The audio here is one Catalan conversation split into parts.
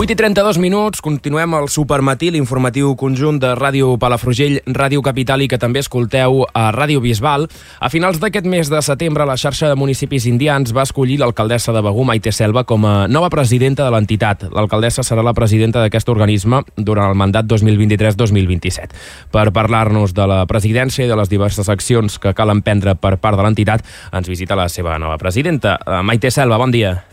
8:32, continuem al Supermatí, l'informatiu conjunt de Ràdio Palafrugell, Ràdio Capital i que també escolteu a Ràdio Bisbal. A finals d'aquest mes de setembre, la xarxa de municipis indians va escollir l'alcaldessa de Begur, Maite Selva, com a nova presidenta de l'entitat. L'alcaldessa serà la presidenta d'aquest organisme durant el mandat 2023-2027. Per parlar-nos de la presidència i de les diverses accions que cal emprendre per part de l'entitat, ens visita la seva nova presidenta. Maite Selva, bon dia.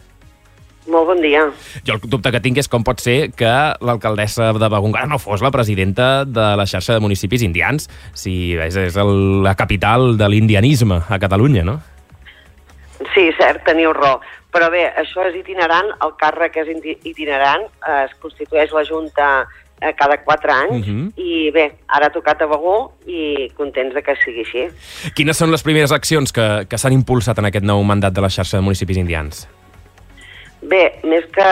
Molt bon dia. Jo el dubte que tinc és com pot ser que l'alcaldessa de Begur encara no fos la presidenta de la xarxa de municipis indians, si és la capital de l'indianisme a Catalunya, no? Sí, cert, teniu raó. Però bé, això és itinerant, el càrrec és itinerant, es constitueix la Junta cada 4 anys, i bé, ara ha tocat a Begur i contents de que sigui així. Quines són les primeres accions que s'han impulsat en aquest nou mandat de la xarxa de municipis indians? Bé, més que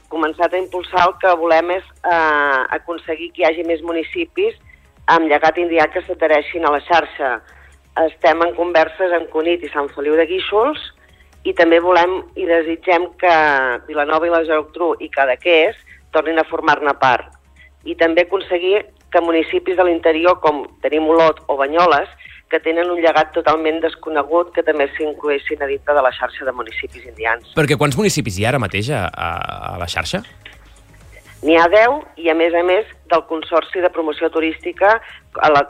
començat a impulsar, el que volem és aconseguir que hi hagi més municipis amb llegat indià que s'adhereixin a la xarxa. Estem en converses amb Cunit i Sant Feliu de Guíxols i també volem i desitgem que Vilanova i la Geltrú i Cadaqués tornin a formar-ne part. I també aconseguir que municipis de l'interior, com tenim Olot o Banyoles, que tenen un llegat totalment desconegut, que també s'incloguessin a dintre de la xarxa de municipis indians. Perquè quants municipis hi ha ara mateix a la xarxa? N'hi ha 10 i, a més, del Consorci de Promoció Turística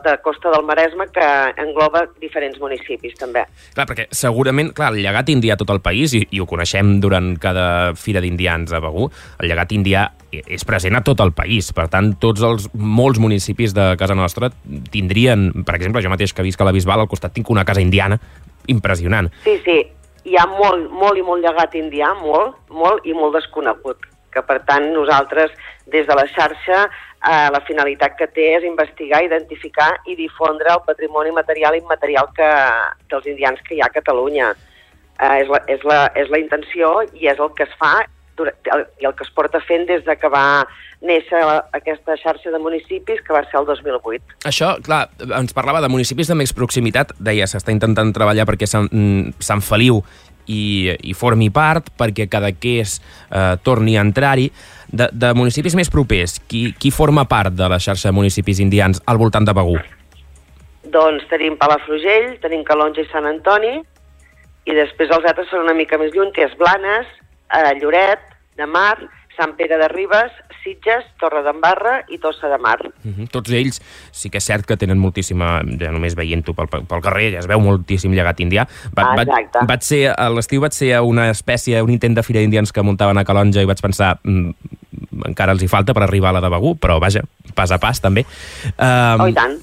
de Costa del Maresme, que engloba diferents municipis, també. Clar, perquè segurament, el llegat indià a tot el país, i ho coneixem durant cada fira d'indians a Begur, el llegat indià és present a tot el país. Per tant, molts municipis de casa nostra tindrien, per exemple, jo mateix que visc a la Bisbal, al costat tinc una casa indiana impressionant. Sí, hi ha molt llegat indià, molt i molt desconegut, que per tant nosaltres des de la xarxa la finalitat que té és investigar, identificar i difondre el patrimoni material i immaterial dels indians que hi ha a Catalunya. És la intenció i és el que es fa i el que es porta fent des de que va néixer aquesta xarxa de municipis, que va ser el 2008. Això, clar, ens parlava de municipis de més proximitat, deia, s'està intentant treballar perquè Sant Feliu i formi part, perquè Cadaqués torni a entrar-hi. De municipis més propers, qui forma part de la xarxa de municipis indians al voltant de Begur? Doncs tenim Palafrugell, tenim Calonge i Sant Antoni, i després els altres són una mica més lluny, que és Blanes, Lloret de Mar, Sant Pere de Ribes, Sitges, Torredembarra i Tossa de Mar. Tots ells sí que és cert que tenen moltíssima, ja només veient-ho pel carrer, ja es veu moltíssim llegat indià. A l'estiu vaig ser a una espècie, un intent de fira d'indians que muntaven a Calonge i vaig pensar, encara els hi falta per arribar a la de Begur, però vaja, pas a pas també. I tant.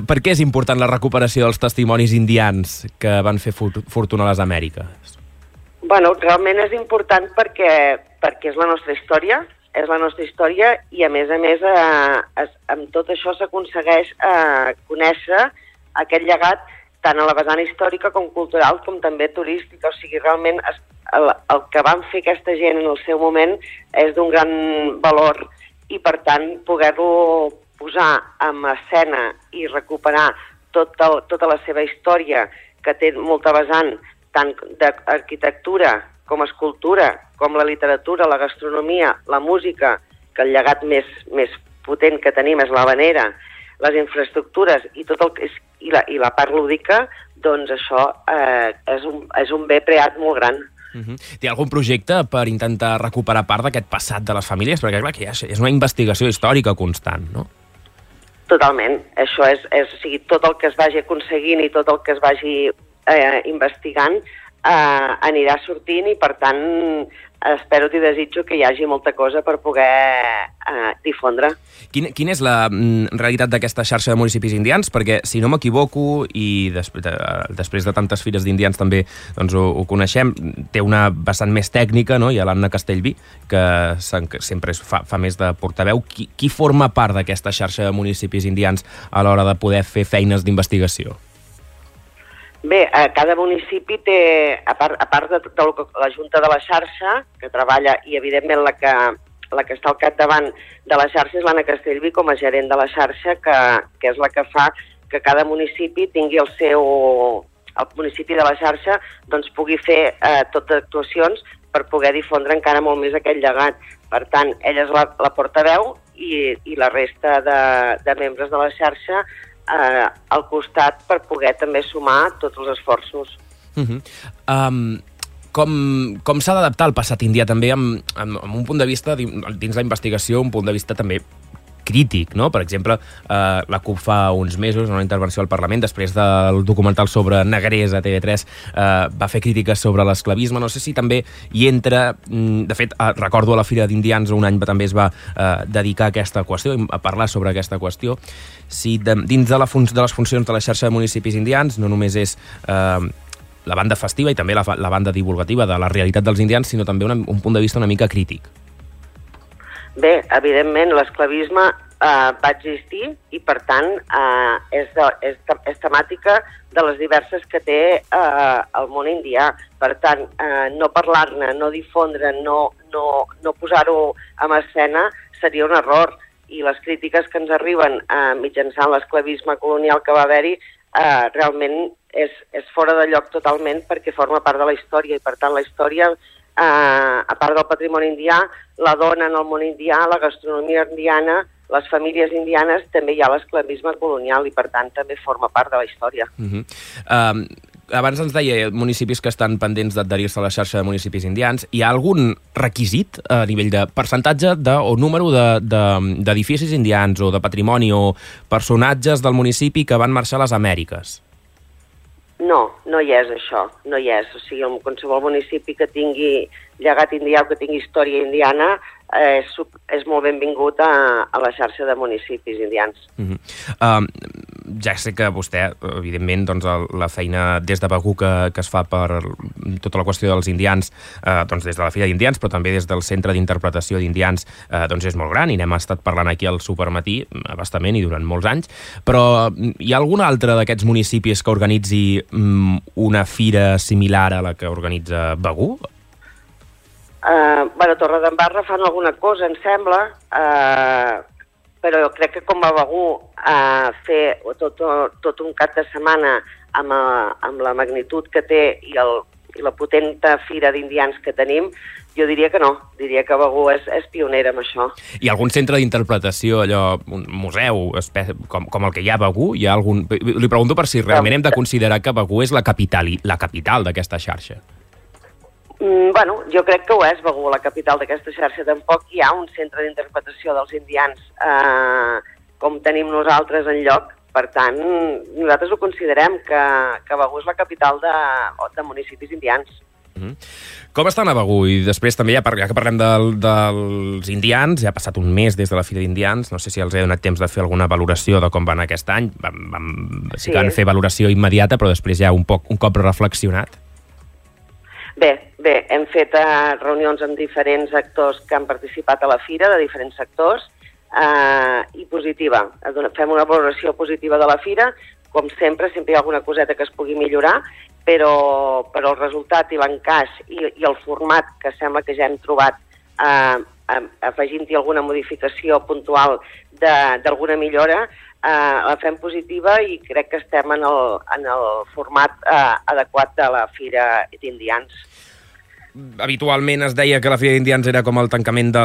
Per què és important la recuperació dels testimonis indians que van fer fortuna a les Amèriques? Bueno, realment és important perquè és la nostra història, i a més amb tot això s'aconsegueix conèixer aquest llegat tant a la vessant històrica com cultural com també turística. O sigui, realment el que van fer aquesta gent en el seu moment és d'un gran valor i per tant poder-lo posar en escena i recuperar tota la seva història, que té molta vessant tant d'arquitectura com escultura, com la literatura, la gastronomia, la música, que el llegat més potent que tenim és l'havanera, les infraestructures i la part lúdica, doncs això és un bé preat molt gran. Té algun projecte per intentar recuperar part d'aquest passat de les famílies? Perquè clar, que és una investigació històrica constant, no? Totalment. Això és o sigui, tot el que es vagi aconseguint i tot el que es vagi investigant anirà sortint i per tant espero i desitjo que hi hagi molta cosa per poder difondre. Quina és la realitat d'aquesta xarxa de municipis indians? Perquè, si no m'equivoco, i després de tantes fires d'indians també doncs, ho coneixem, té una vessant més tècnica, no? Hi ha l'Anna Castellví, que sempre fa més de portaveu. Qui forma part d'aquesta xarxa de municipis indians a l'hora de poder fer feines d'investigació? Bé, cada municipi té, a part de la Junta de la xarxa, que treballa, i evidentment la que està al capdavant de la xarxa és l'Anna Castellví com a gerent de la xarxa, que és la que fa que cada municipi tingui el municipi de la xarxa doncs pugui fer totes actuacions per poder difondre encara molt més aquest llegat. Per tant, ella és la portaveu i la resta de membres de la xarxa al costat per poder també sumar tots els esforços. Com s'ha d'adaptar el passat indià també amb un punt de vista, dins la investigació, un punt de vista també crític, no? Per exemple, la CUP fa uns mesos, en una intervenció al Parlament, després del documental sobre Negrers a TV3, va fer crítiques sobre l'esclavisme. No sé si també hi entra... De fet, recordo a la Fira d'Indians un any també es va dedicar a aquesta qüestió, a parlar sobre aquesta qüestió. Si dins de les funcions de la xarxa de municipis indians no només és la banda festiva i també la banda divulgativa de la realitat dels indians, sinó també un punt de vista una mica crític. Bé, evidentment, l'esclavisme va existir i, per tant, és temàtica de les diverses que té el món indià. Per tant, no parlar-ne, no difondre, no posar-ho en escena seria un error. I les crítiques que ens arriben mitjançant l'esclavisme colonial que va haver-hi realment és fora de lloc totalment perquè forma part de la història i, per tant, la història... a part del patrimoni indià, la dona en el món indià, la gastronomia indiana, les famílies indianes, també hi ha l'esclavisme colonial i, per tant, també forma part de la història. Abans ens deia municipis que estan pendents d'adherir-se a la xarxa de municipis indians. Hi ha algun requisit a nivell de percentatge o número d'edificis indians o de patrimoni o personatges del municipi que van marxar a les Amèriques? No hi és això, no hi és. O sigui, en qualsevol municipi que tingui llegat indià o que tingui història indiana és molt benvingut a la xarxa de municipis indians. Ja sé que vostè, evidentment, doncs, la feina des de Begur que es fa per tota la qüestió dels indians, doncs des de la Fira d'Indians, però també des del Centre d'Interpretació d'Indians, doncs és molt gran i n'hem estat parlant aquí al Supermatí abastament i durant molts anys. Però hi ha algun altre d'aquests municipis que organitzi una fira similar a la que organitza Begur? A Torredembarra fan alguna cosa, em sembla, però jo crec que com a Begur fer tot un cap de setmana amb la magnitud que té i la potenta fira d'indians que tenim, jo diria que no. Diria que Begur és pionera en això. Hi ha algun centre d'interpretació, allò, un museu com el que hi ha a Begur? Hi ha algun... Li pregunto per si realment hem de considerar que Begur és la capital d'aquesta xarxa. Bueno, jo crec que ho és, Begur, la capital d'aquesta xarxa. Tampoc hi ha un centre d'interpretació dels indians com tenim nosaltres en lloc. Per tant, nosaltres ho considerem que Begur és la capital de municipis indians. Com estan a Begur? I després també, ja que parlem dels indians, ja ha passat un mes des de la Fira d'Indians, no sé si els he donat temps de fer alguna valoració de com van aquest any. Sí que van fer valoració immediata, però després ja un cop reflexionat. Bé, hem fet reunions amb diferents actors que han participat a la fira, de diferents sectors, i positiva. Fem una valoració positiva de la fira. Com sempre hi ha alguna coseta que es pugui millorar, però el resultat i l'encaix i el format que sembla que ja hem trobat afegint-hi alguna modificació puntual d'alguna millora, la fem positiva i crec que estem en el format adequat de la Fira d'Indians. Habitualment es deia que la Fira d'Indians era com el tancament de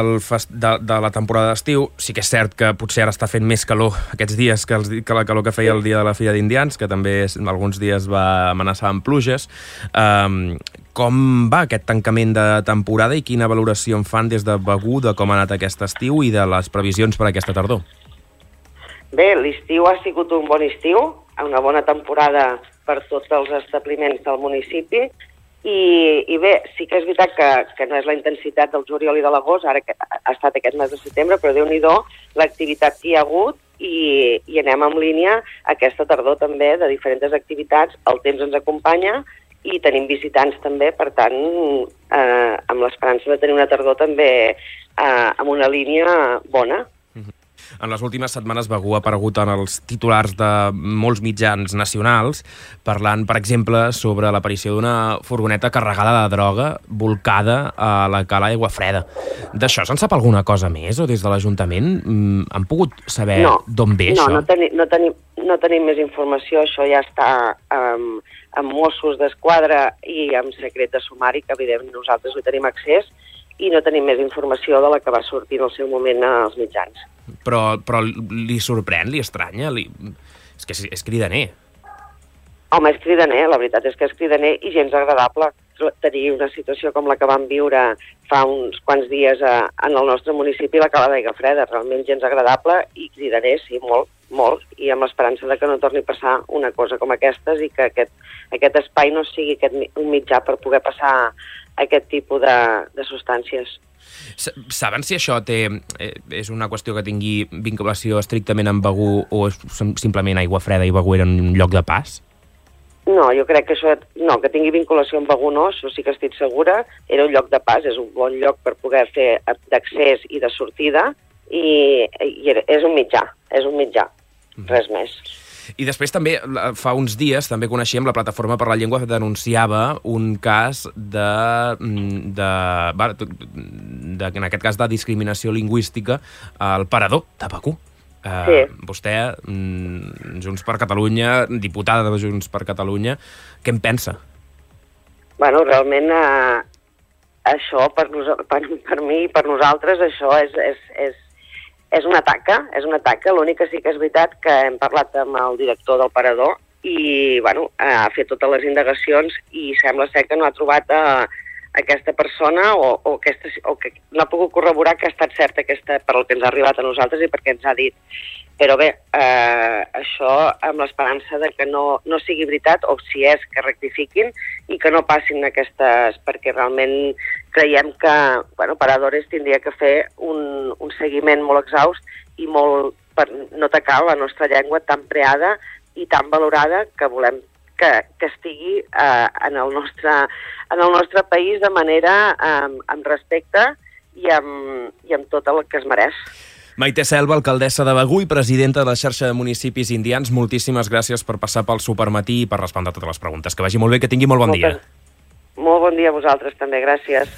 la temporada d'estiu. Sí que és cert que potser ara està fent més calor aquests dies que la calor que feia el dia de la Fira d'Indians, que també alguns dies va amenaçar amb pluges. Com va aquest tancament de temporada i quina valoració en fan des de Begur de com ha anat aquest estiu i de les previsions per aquesta tardor? Bé, l'estiu ha sigut un bon estiu, una bona temporada per tots els establiments del municipi i bé, sí que és veritat que no és la intensitat del juliol i de l'agost, ara que ha estat aquest mes de setembre, però Déu-n'hi-do l'activitat que hi ha hagut i anem en línia aquesta tardor també de diferents activitats, el temps ens acompanya i tenim visitants també, per tant, amb l'esperança de tenir una tardor també amb una línia bona. En les últimes setmanes Begur ha aparegut en els titulars de molts mitjans nacionals, parlant, per exemple, sobre l'aparició d'una furgoneta carregada de droga volcada a la cala Aiguafreda. D'això se'n sap alguna cosa més o des de l'Ajuntament? Han pogut saber d'on ve això? No tenim més informació, això ja està amb Mossos d'Esquadra i amb secret de sumari, que evidentment nosaltres hi tenim accés, i no tenim més informació de la que va sortir en el seu moment als mitjans. Però li sorprèn, li estranya? És que és cridaner. Home, és cridaner, la veritat és que és cridaner i gens agradable tenir una situació com la que vam viure fa uns quants dies en el nostre municipi, la Cala d'Aigua Freda. Realment gens agradable i cridaner, sí, molt, molt, i amb l'esperança de que no torni a passar una cosa com aquestes i que aquest espai no sigui un mitjà per poder passar aquest tipus de substàncies. Saben si això és una qüestió que tingui vinculació estrictament amb Begur o és simplement Aigua Freda i Begur eren un lloc de pas? No, jo crec que això, no, que tingui vinculació amb Begur no, això sí que estic segura, era un lloc de pas, és un bon lloc per poder fer d'accés i de sortida i és un mitjà, res més. I després també, fa uns dies, també coneixíem la Plataforma per la Llengua que denunciava un cas en aquest cas de discriminació lingüística al parador de Begur. Sí. Vostè, Junts per Catalunya, diputada de Junts per Catalunya, què en pensa? Bueno, realment això per mi i per nosaltres això és una taca, l'únic que sí que és veritat que hem parlat amb el director del parador i bueno, ha fet totes les indagacions i sembla ser que no ha trobat aquesta persona o que no ha pogut corroborar que ha estat certa per el que ens ha arribat a nosaltres i perquè ens ha dit. Però bé, això amb l'esperança de que no sigui veritat, o si és que rectifiquin i que no passin aquestes, perquè realment creiem que Paradores tindria que fer un seguiment molt exhaust i molt per no atacar la nostra llengua tan preada i tan valorada que volem que estigui en el nostre país de manera amb respecte i amb tot el que es mereix. Maite Selva, alcaldessa de Begur i presidenta de la xarxa de municipis indians, moltíssimes gràcies per passar pel Supermatí i per respondre totes les preguntes. Que vagi molt bé, que tingui molt bon dia. Molt bon dia a vosaltres també, gràcies.